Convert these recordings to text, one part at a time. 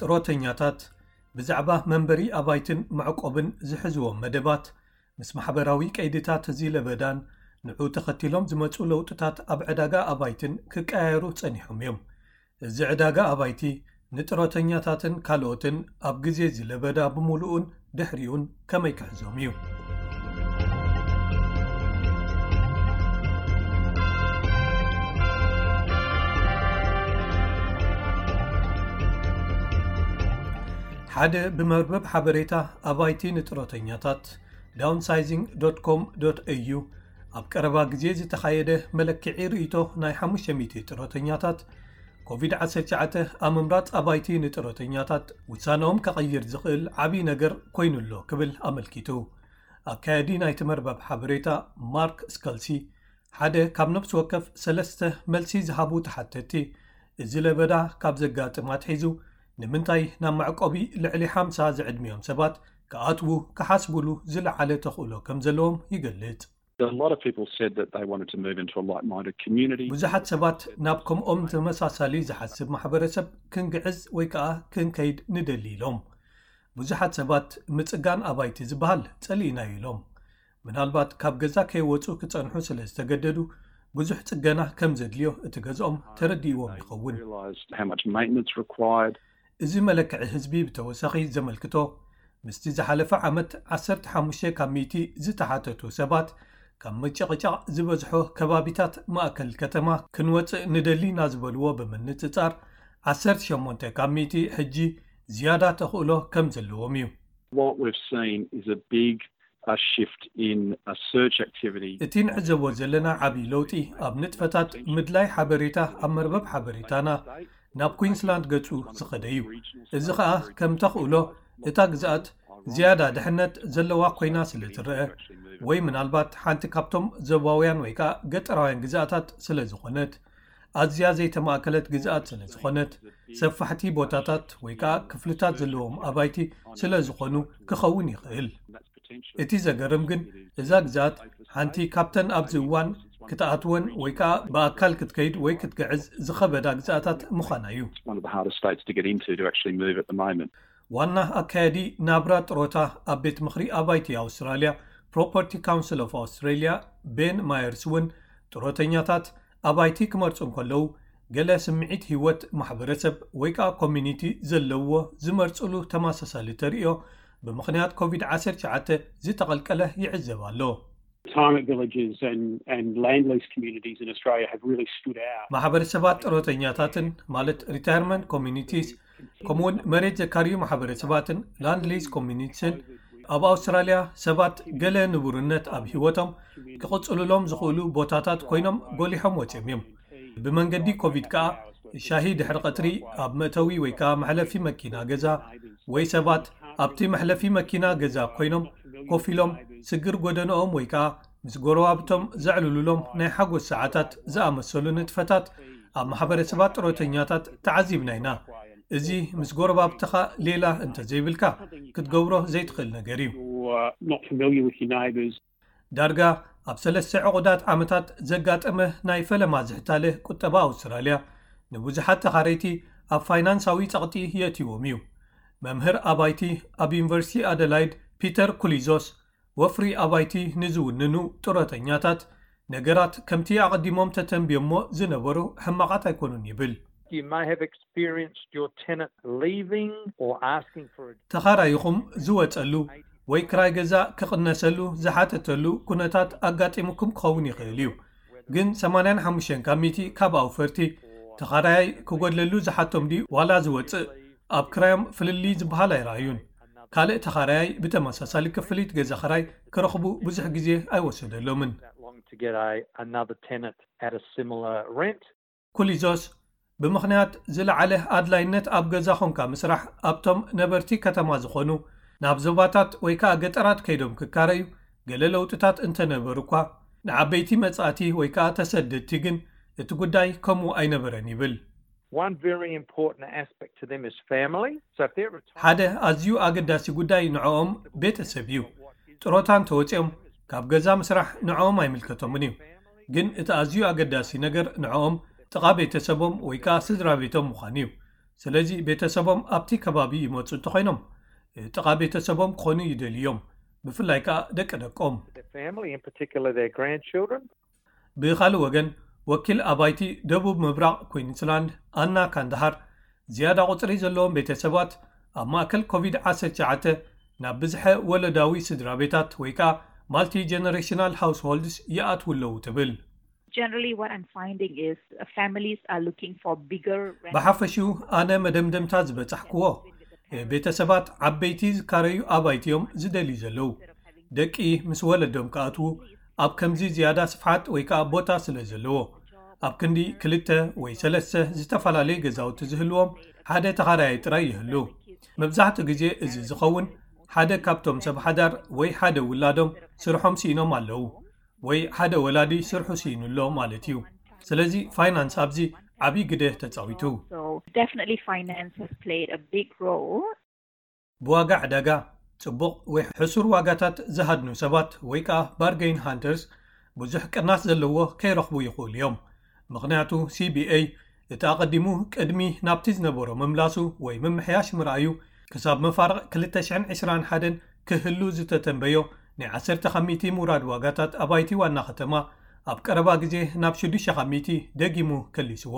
ጥሮተኛታት ብዛዕባ መንበሪ ኣባይትን መዕቆብን ዝሕዝዎም መደባት ምስ ማሕበራዊ ቀይድታት እዚ ለበዳን ንዑ ተኸቲሎም ዝመጹ ለውጥታት ኣብ ዕዳጋ ኣባይትን ክቀያየሩ ጸኒሖም እዮም። እዚ ዕዳጋ ኣባይቲ ንጥሮተኛታትን ካልኦትን ኣብ ግዜ እዚ ለበዳ ብምሉኡን ድሕሪኡን ከመይ ክሕዞም እዩ? ሓደ ብመርበብ ሓበሬታ ኣባይቲ ንጥሮተኛታት downsizing.com.au ኣብ ቀረባ ግዜ ዝተኻየደ መለክዒ ርእይቶ ናይ ሓሙሽተ ሚእቲ ጥሮተኛታት ኮቪድ ዓሰርተ ትሽዓተ ኣብ ምምራጽ ኣባይቲ ንጥሮተኛታት ውሳነኦም ከቐይር ዝኽእል ዓብዪ ነገር ኮይኑሎ ክብል ኣመልኪቱ። ኣካያዲ ናይቲ መርበብ ሓበሬታ ማርክ ስከልሲ ሓደ ካብ ነፍሲ ወከፍ ሰለስተ መልሲ ዝሃቡ ተሓተቲ እዚ ለበዳ ካብ ዘጋጥም ኣትሒዙ ንምንታይ ናብ መዕቆቢ ልዕሊ ሓምሳ ዝዕድሚኦም ሰባት ክኣትዉ ክሓስቡሉ ዝለዓለ ተኽእሎ ከም ዘለዎም ይገልጽ። A lot of people said that they wanted to move into a like-minded community. ብዙሓት ሰባት ናብ ከምኦም ተመሳሳሊ ዝሓስብ ማሕበረሰብ ክንግዕዝ ወይ ከዓ ክንከይድ ንደሊ ኢሎም። ብዙሓት ሰባት ምጽጋን ኣባይቲ ዝበሃል ጸሊእናዩ ኢሎም። ምናልባት ካብ ገዛ ከይወጹ ክጸንሑ ስለ ዝተገደዱ ብዙሕ ጽገና ከም ዘድልዮ እቲ ገዝኦም ተረዲእዎም ይኸውን። Realised how much maintenance required. እዚ መለክዒ ህዝቢ ብተወሳኺ ዘመልክቶ ምስቲ ዝሓለፈ ዓመት ዓሰርተ ሓሙሽተ ካብ ሚእቲ ዝተሓተቱ ሰባት ካብ ምጭቕጫቕ ዝበዝሖ ከባቢታት ማእከል ከተማ ክንወጽእ ንደሊ ኢና ዝበልዎ ብምንጽጻር ዓሰርተ ሸሞንተ ካብ ሚእቲ ሕጂ ዝያዳ ተኽእሎ ከም ዘለዎም እዩ። What we've seen is a big a shift in a search activity. እቲ ንዕዘቦ ዘለና ዓብዪ ለውጢ ኣብ ንጥፈታት ምድላይ ሓበሬታ ኣብ መርበብ ሓበሬታና ናብ ኩዊንስላንድ ገጹ ዝኸደ እዩ። እዚ ኸኣ ከም ተኽእሎ እታ ግዝኣት ዝያዳ ድሕነት ዘለዋ ኮይና ስለ ትረአ ወይ ምናልባት ሓንቲ ካብቶም ዞባውያን ወይ ከኣ ገጠራውያን ግዝኣታት ስለ ዝኾነት ኣዝያ ዘይተማእከለት ግዝኣት ስለ ዝኾነት ሰፋሕቲ ቦታታት ወይ ከኣ ክፍልታት ዘለዎም ኣባይቲ ስለ ዝኾኑ ክኸውን ይኽእል። እቲ ዘገርም ግን እዛ ግዝኣት ሓንቲ ካብተን ኣብዚ እዋን ክትኣትወን ወይ ከኣ ብኣካል ክትከይድ ወይ ክትግዕዝ ዝኸበዳ ግዝኣታት ምዃና እዩ። One of the hardest states to get into to actually move at the moment. ዋና ኣካያዲ ናብራ ጥሮታ ኣብ ቤት ምኽሪ ኣባይቲ ኣውስትራልያ ፕሮፐርቲ ካውንስል ኦፍ ኣውስትራልያ ቤን ማየርስ እውን ጥሮተኛታት ኣባይቲ ክመርጹ እንከለዉ ገለ ስምዒት ህይወት ማሕበረሰብ ወይ ከዓ ኮሚኒቲ ዘለዎ ዝመርጽሉ ተመሳሳሊ ተርእዮ ብምኽንያት ኮቪድ ዓሰርተ ትሽዓተ ዝተቐልቀለ ይዕዘብ ኣሎ። Retirement villages and, and land lease communities in Australia have really stood out. ማሕበረሰባት ጥሮተኛታትን ማለት retirement communities ከምኡውን መሬት ዘካርዩ ማሕበረሰባትን land lease communitiesን ኣብ ኣውስትራልያ ሰባት ገለ ንቡርነት ኣብ ህይወቶም ክቕጽሉሎም ዝኽእሉ ቦታታት ኮይኖም ጎሊሖም ወጺኦም እዮም። ብመንገዲ ኮቪድ ከኣ ሻሂ ድሕሪ ቀትሪ ኣብ መእተዊ ወይ ከኣ መሕለፊ መኪና ገዛ ወይ ሰባት ኣብቲ መሕለፊ መኪና ገዛ ኮይኖም ኮፍ ኢሎም ስግር ጎደንኦም ወይ ከኣ ምስ ጎረባብቶም ዘዕልሉሎም ናይ ሓጎስ ሰዓታት ዝኣመሰሉ ንጥፈታት ኣብ ማሕበረሰባት ጥሮተኛታት ተዓዚብና ኢና። እዚ ምስ ጎረባብትኻ ሌላ እንተዘይብልካ ክትገብሮ ዘይትኽእል ነገር እዩ። You're not familiar with your neighbours. ዳርጋ ኣብ ሰለስተ ዕቑዳት ዓመታት ዘጋጠመ ናይ ፈለማ ዝሕታለ ቁጠባ ኣውስትራልያ ንብዙሓት ተኻረይቲ ኣብ ፋይናንሳዊ ጸቕጢ የእትዎም እዩ። መምህር ኣባይቲ ኣብ ዩኒቨርሲቲ ኣደላይድ ፒተር ኩሊዞስ ወፍሪ ኣባይቲ ንዝውንኑ ጥሮተኛታት ነገራት ከምቲ ኣቐዲሞም ተተንብዮሞ ዝነበሩ ሕማቓት ኣይኮኑን ይብል። You may have experienced your tenant leaving or asking for a ተኻራይኹም ዝወጸሉ ወይ ክራይ ገዛ ክቕነሰሉ ዝሓተተሉ ኩነታት ኣጋጢሙኩም ክኸውን ይኽእል እዩ። ግን ሰማንያን ሓሙሽተን ካብ ሚእቲ ካብ ኣውፈርቲ ተኻራያይ ክጎድለሉ ዝሓቶም ድዩ ዋላ ዝወጽእ ኣብ ክራዮም ፍልልይ ዝበሃል ኣይረኣዩን። ካልእ ተኻራያይ ብተመሳሳሊ ክፍሊት ገዛ ኽራይ ክረኽቡ ብዙሕ ግዜ ኣይወሰደሎምን። that long to get a, another tenant at a similar rent. ኩሊዞስ ብምኽንያት ዝለዓለ ኣድላይነት ኣብ ገዛ ኾንካ ምስራሕ ኣብቶም ነበርቲ ከተማ ዝኾኑ ናብ ዞባታት ወይ ከዓ ገጠራት ከይዶም ክካረዩ ገለ ለውጥታት እንተነበሩ እኳ ንዓበይቲ መጻእቲ ወይ ከዓ ተሰደድቲ ግን እቲ ጉዳይ ከምኡ ኣይነበረን ይብል። One very important aspect to them is family. So if they're retired, ሓደ ኣዝዩ ኣገዳሲ ጉዳይ ንዕኦም ቤተሰብ እዩ። ጥሮታ እንተወፂኦም ካብ ገዛ ምስራሕ ንዕኦም ኣይምልከቶምን እዩ። ግን እቲ ኣዝዩ ኣገዳሲ ነገር ንዕኦም ጥቓ ቤተሰቦም ወይ ከዓ ስድራ ቤቶም ምዃን እዩ። ስለዚ ቤተሰቦም ኣብቲ ከባቢ ይመፁ እንተኾይኖም ጥቓ ቤተሰቦም ክኾኑ ይደልዮም፣ ብፍላይ ከዓ ደቂ ደቆም። Their family, in particular their grandchildren. ብኻልእ ወገን፣ ወኪል ኣባይቲ ደቡብ ምብራቕ ኩዊንስላንድ ኣና ካንዳሃር፣ ዝያዳ ቁፅሪ ዘለዎም ቤተሰባት ኣብ ማእከል ኮቪድ ዓሰርተ ትሽዓተ ናብ ብዝሐ ወለዳዊ ስድራ ቤታት ወይ ከዓ ማልቲ ጀነሬሽናል ሃውስሆልድስ ይኣትዉ ኣለዉ ትብል። Generally, what I'm finding is uh, families are looking for bigger rentals. ብሓፈሽኡ ኣነ መደምደምታ ዝበጻሕክዎ፣ ቤተሰባት ዓበይቲ ዝካረዩ ኣባይቲ እዮም ዝደልዩ ዘለዉ። ደቂ ምስ ወለዶም ክኣትዉ ኣብ ከምዚ ዝያዳ ስፍሓት ወይ ከዓ ቦታ ስለ ዘለዎ፣ ኣብ ክንዲ ክልተ ወይ ሰለስተ ዝተፈላለዩ ገዛውቲ ዝህልዎም ሓደ ተኻራያይ ጥራይ ይህሉ። መብዛሕትኡ ግዜ እዚ ዝኸውን ሓደ ካብቶም ሰብ ሓዳር ወይ ሓደ ውላዶም ስርሖም ስኢኖም ኣለዉ፣ ወይ ሓደ ወላዲ ስርሑ ስኢኑ ኣሎ ማለት እዩ። ስለዚ ፋይናንስ ኣብዚ ዓብዪ ግደ ተፃዊቱ። So definitely finance has played a big role. ብዋጋ ዕዳጋ ጽቡቕ ወይ ሕሱር ዋጋታት ዝሃድኑ ሰባት ወይ ከዓ ባርገይን ሃንተርስ ብዙሕ ቅናስ ዘለዎ ከይረኽቡ ይኽእሉ እዮም። ምኽንያቱ ሲቢኤ እቲ ኣቐዲሙ ቅድሚ ናብቲ ዝነበሮ ምምላሱ ወይ ምምሕያሽ ምርኣዩ ክሳብ መፋርቕ ክልተ ሽሕን ዕስራን ሓደን ክህሉ ዝተተንበዮ ናይ ዓሰርተ ካብ ሚእቲ ምውራድ ዋጋታት ኣባይቲ ዋና ከተማ ኣብ ቀረባ ግዜ ናብ ሽዱሽተ ካብ ሚእቲ ደጊሙ ከሊስዎ።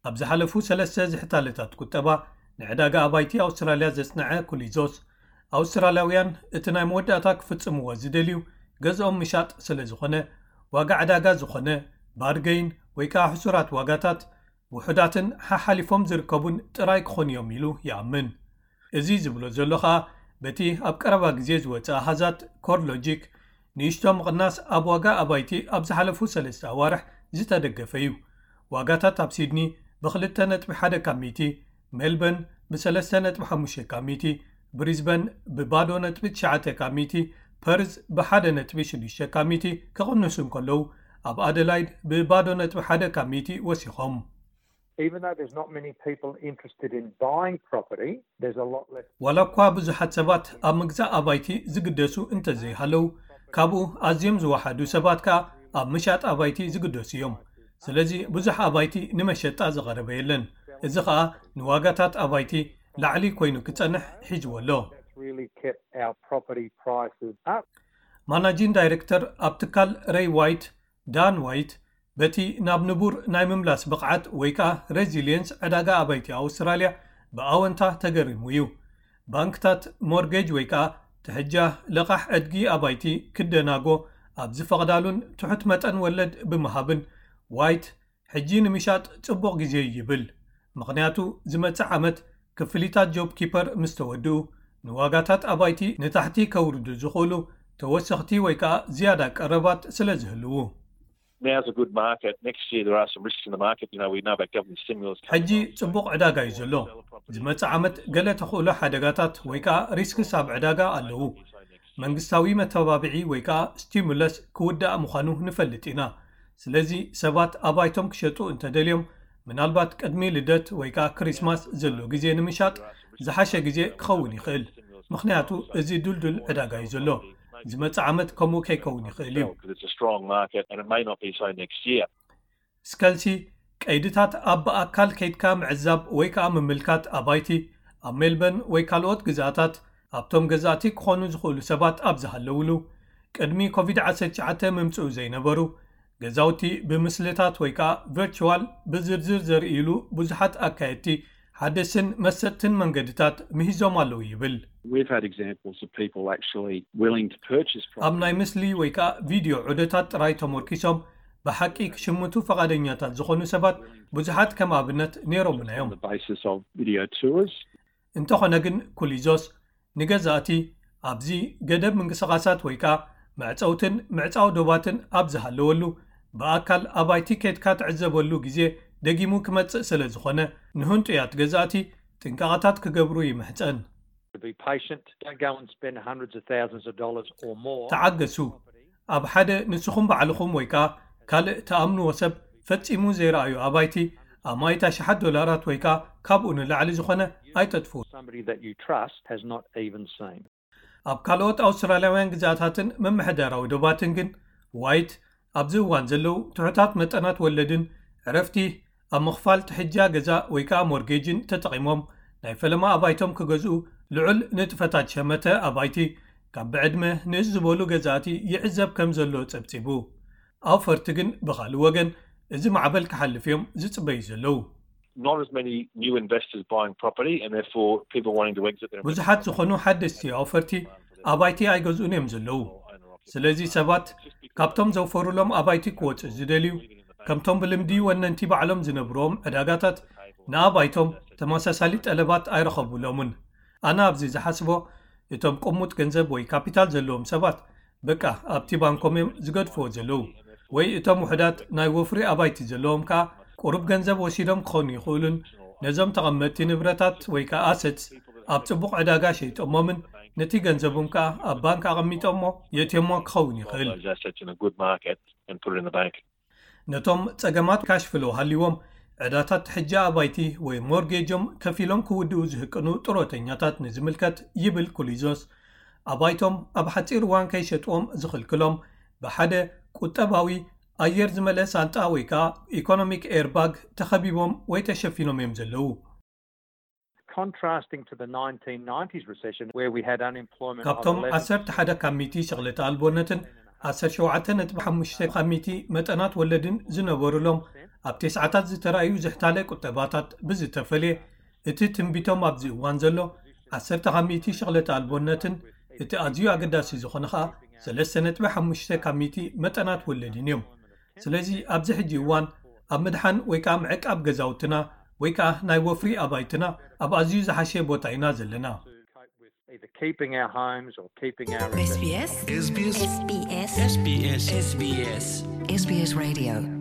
ኣብ ዝሓለፉ ሰለስተ ዝሕታለታት ቁጠባ ንዕዳጋ ኣባይቲ ኣውስትራልያ ዘጽንዐ ኩሊዞስ፣ ኣውስትራልያውያን እቲ ናይ መወዳእታ ክፍጽምዎ ዝደልዩ ገዝኦም ምሻጥ ስለ ዝኾነ፣ ዋጋ ዕዳጋ ዝኾነ ባርገይን ወይ ከዓ ሕሱራት ዋጋታት ውሑዳትን ሓሓሊፎም ዝርከቡን ጥራይ ክኾኑ እዮም ኢሉ ይኣምን። እዚ ዝብሎ ዘሎ ኸኣ በቲ ኣብ ቀረባ ግዜ ዝወጸ ኣሃዛት ኮርሎጂክ ንእሽቶ ምቕናስ ኣብ ዋጋ ኣባይቲ ኣብ ዝሓለፉ ሰለስተ ኣዋርሕ ዝተደገፈ እዩ። ዋጋታት ኣብ ሲድኒ ብክልተ ነጥቢ ሓደ ካብ ሚእቲ፣ ሜልበርን ብሰለስተ ነጥቢ ሓሙሽተ ካብ ሚእቲ፣ ብሪዝበን ብባዶ ነጥቢ ትሽዓተ ካብ ሚእቲ፣ ፐርዝ ብሓደ ነጥቢ ሽዱሽተ ካብ ሚእቲ ክቕንሱ እንከለዉ ኣብ ኣደላይድ ብባዶ ነጥቢ ሓደ ካብ ሚእቲ ወሲኾም። Even though there's not many people interested in buying property, there's a lot less. ዋላ እኳ ብዙሓት ሰባት ኣብ ምግዛእ ኣባይቲ ዝግደሱ እንተዘይሃለዉ፣ ካብኡ ኣዝዮም ዝወሓዱ ሰባት ከኣ ኣብ ምሻጥ ኣባይቲ ዝግደሱ እዮም። ስለዚ ብዙሕ ኣባይቲ ንመሸጣ ዝቐረበ የለን። እዚ ኸኣ ንዋጋታት ኣባይቲ ላዕሊ ኮይኑ ክጸንሕ ሒዝዎ ኣሎ። That's really kept our property prices up. ማናጂን ዳይሬክተር ኣብ ትካል ሬይ ዋይት ዳን ዋይት በቲ ናብ ንቡር ናይ ምምላስ ብቕዓት ወይ ከኣ ሬዚሊየንስ ዕዳጋ ኣባይቲ ኣውስትራልያ ብኣወንታ ተገሪሙ እዩ። ባንክታት ሞርጌጅ ወይ ከኣ ትሕጃ ለቓሕ ዕድጊ ኣባይቲ ክደናጎ ኣብ ዝፈቕዳሉን ትሑት መጠን ወለድ ብምሃብን ዋይት ሕጂ ንምሻጥ ጽቡቕ ግዜ እዩ ይብል። ምኽንያቱ ዝመጽእ ዓመት ክፍሊታት ጆብ ኪፐር ምስ ተወድኡ ንዋጋታት ኣባይቲ ንታሕቲ ከውርዱ ዝኽእሉ ተወሰኽቲ ወይ ከኣ ዝያዳ ቀረባት ስለ ዝህልዉ። Now's a good market. Next year there are some risks in the market. You know, we know about government stimulus. ሕጂ ጽቡቕ ዕዳጋ እዩ ዘሎ። ዝመጽእ ዓመት ገለ ተኽእሎ ሓደጋታት ወይ ከኣ ሪስክስ ኣብ ዕዳጋ ኣለዉ። መንግስታዊ መተባብዒ ወይ ከኣ ስቲሙለስ ክውዳእ ምዃኑ ንፈልጥ ኢና። ስለዚ ሰባት ኣባይቶም ክሸጡ እንተደልዮም ምናልባት ቅድሚ ልደት ወይ ከኣ ክሪስማስ ዘሎ ግዜ ንምሻጥ ዝሓሸ ግዜ ክኸውን ይኽእል። ምኽንያቱ እዚ ድልዱል ዕዳጋ እዩ ዘሎ። ዝመጽእ ዓመት ከምኡ ከይከውን ይኽእል እዩ። Because it's a strong market and it may not be so next year. ስከልሲ ቀይድታት ኣብ ብኣካል ከይድካ ምዕዛብ ወይ ከኣ ምምልካት ኣባይቲ ኣብ ሜልበርን ወይ ካልኦት ግዛታት ኣብቶም ገዛእቲ ክኾኑ ዝኽእሉ ሰባት ኣብ ዝሃለውሉ ቅድሚ ኮቪድ ዓሰርተ ትሽዓተ ምምጽኡ ዘይነበሩ ገዛውቲ ብምስልታት ወይ ከኣ ቨርቹዋል ብዝርዝር ዘርእይሉ ብዙሓት ኣካየድቲ ሓደስን መሰጥትን መንገድታት ምሂዞም ኣለዉ ይብል። We've had examples of people actually willing to purchase ኣብ ናይ ምስሊ ወይ ከኣ ቪድዮ ዑደታት ጥራይ ተመርኪሶም ብሓቂ ክሽምቱ ፈቓደኛታት ዝኾኑ ሰባት ብዙሓት ከም ኣብነት ነይሮምና እዮም። on the basis of video tours. እንተኾነ ግን ኩሊዞስ ንገዛእቲ ኣብዚ ገደብ ምንቅስቓሳት ወይ ከኣ መዕፀውትን ምዕፃው ዶባትን ኣብ ዝሃለወሉ ብኣካል ኣባይቲ ከይድካ ትዕዘበሉ ግዜ ደጊሙ ክመጽእ ስለ ዝኾነ ንህንጡያት ገዛእቲ ጥንቃቐታት ክገብሩ ይምሕጸን። To be patient, don't go and spend hundreds of thousands of dollars or more. ተዓገሱ። ኣብ ሓደ ንስኹም ባዕልኹም ወይ ከኣ ካልእ ትኣምንዎ ሰብ ፈጺሙ ዘይረኣዩ ኣባይቲ ኣማኢት ኣሽሓት ዶላራት ወይ ከኣ ካብኡ ንላዕሊ ዝኾነ ኣይተጥፍኡ። Somebody that you trust has not even seen. ኣብ ካልኦት ኣውስትራልያውያን ግዛታትን ምምሕዳራዊ ዶባትን ግን ዋይት ኣብዚ እዋን ዘለዉ ትሑታት መጠናት ወለድን ዕረፍቲ ኣብ ምኽፋል ትሕጃ ገዛ ወይ ከዓ ሞርጌጅን ተጠቒሞም ናይ ፈለማ ኣባይቶም ክገዝኡ ልዑል ንጥፈታት ሸመተ ኣባይቲ ካብ ብዕድመ ንእስ ዝበሉ ገዛእቲ ይዕዘብ ከም ዘሎ ጸብጺቡ። ኣውፈርቲ ግን ብኻልእ ወገን እዚ ማዕበል ክሓልፍ እዮም ዝጽበዩ ዘለዉ። Not as many new investors buying property and therefore people wanting to exit their ብዙሓት ዝኾኑ ሓደስቲ ኣውፈርቲ ኣባይቲ ኣይገዝኡን እዮም ዘለዉ። ስለዚ ሰባት ካብቶም ዘውፈሩሎም ኣባይቲ ክወፁ ዝደልዩ ከምቶም ብልምዲ ወነንቲ ባዕሎም ዝነብርዎም ዕዳጋታት ንኣባይቶም ተመሳሳሊ ጠለባት ኣይረኸቡሎምን። ኣነ ኣብዚ ዝሓስቦ እቶም ቅሙጥ ገንዘብ ወይ ካፒታል ዘለዎም ሰባት በቃ ኣብቲ ባንኮም እዮም ዝገድፍዎ ዘለዉ ወይ እቶም ውሕዳት ናይ ወፍሪ ኣባይቲ ዘለዎም ከዓ ቁሩብ ገንዘብ ወሲዶም ክኾኑ ይኽእሉን ነዞም ተቐመጥቲ ንብረታት ወይ ከዓ ኣሰት ኣብ ጽቡቕ ዕዳጋ ሸይጦሞምን ነቲ ገንዘቦም ከዓ ኣብ ባንክ ኣቐሚጦሞ የእትዮሞ ክኸውን ይኽእል። Those assets in a good market and put it in the bank. ነቶም ጸገማት ካሽ ፍሎ ሃልይዎም ዕዳታት ሕጂ ኣባይቲ ወይ ሞርጌጆም ከፊሎም ክውድኡ ዝህቅኑ ጥሮተኛታት ንዝምልከት ይብል ኩሊዞስ፣ ኣባይቶም ኣብ ሓጺር እዋን ከይሸጥዎም ዝኽልክሎም ብሓደ ቁጠባዊ ኣየር ዝመልአ ሳንጣ ወይ ከዓ ኢኮኖሚክ ኤርባግ ተኸቢቦም ወይ ተሸፊኖም እዮም ዘለዉ። Contrasting to the nineteen nineties recession, where we had unemployment of ካብቶም eleven ዓሰርተ ሓደ ካብ ሚእቲ ሸቕለተ ኣልቦነትን ዓሰርተ ሸውዓተ ነጥቢ ሓሙሽተ ካብ ሚእቲ መጠናት ወለድን ዝነበሩሎም ኣብ ተስዓታት ዝተረኣዩ ዝሕታለ ቁጠባታት ብዝተፈልየ፣ እቲ ትንቢቶም ኣብዚ እዋን ዘሎ ዓሰርተ ካብ ሚእቲ ሸቕለተ ኣልቦነትን እቲ ኣዝዩ ኣገዳሲ ዝኾነ ኸኣ ሰለስተ ነጥቢ ሓሙሽተ ካብ ሚእቲ መጠናት ወለድን እዮም። ስለዚ ኣብዚ ሕጂ እዋን ኣብ ምድሓን ወይ ከዓ ምዕቃብ ገዛውትና ወይ ከዓ ናይ ወፍሪ ኣባይትና ኣብ ኣዝዩ ዝሓሸ ቦታ ኢና ዘለና። Either keeping our homes or keeping our SBS SBS SBS SBS SBS SBS Radio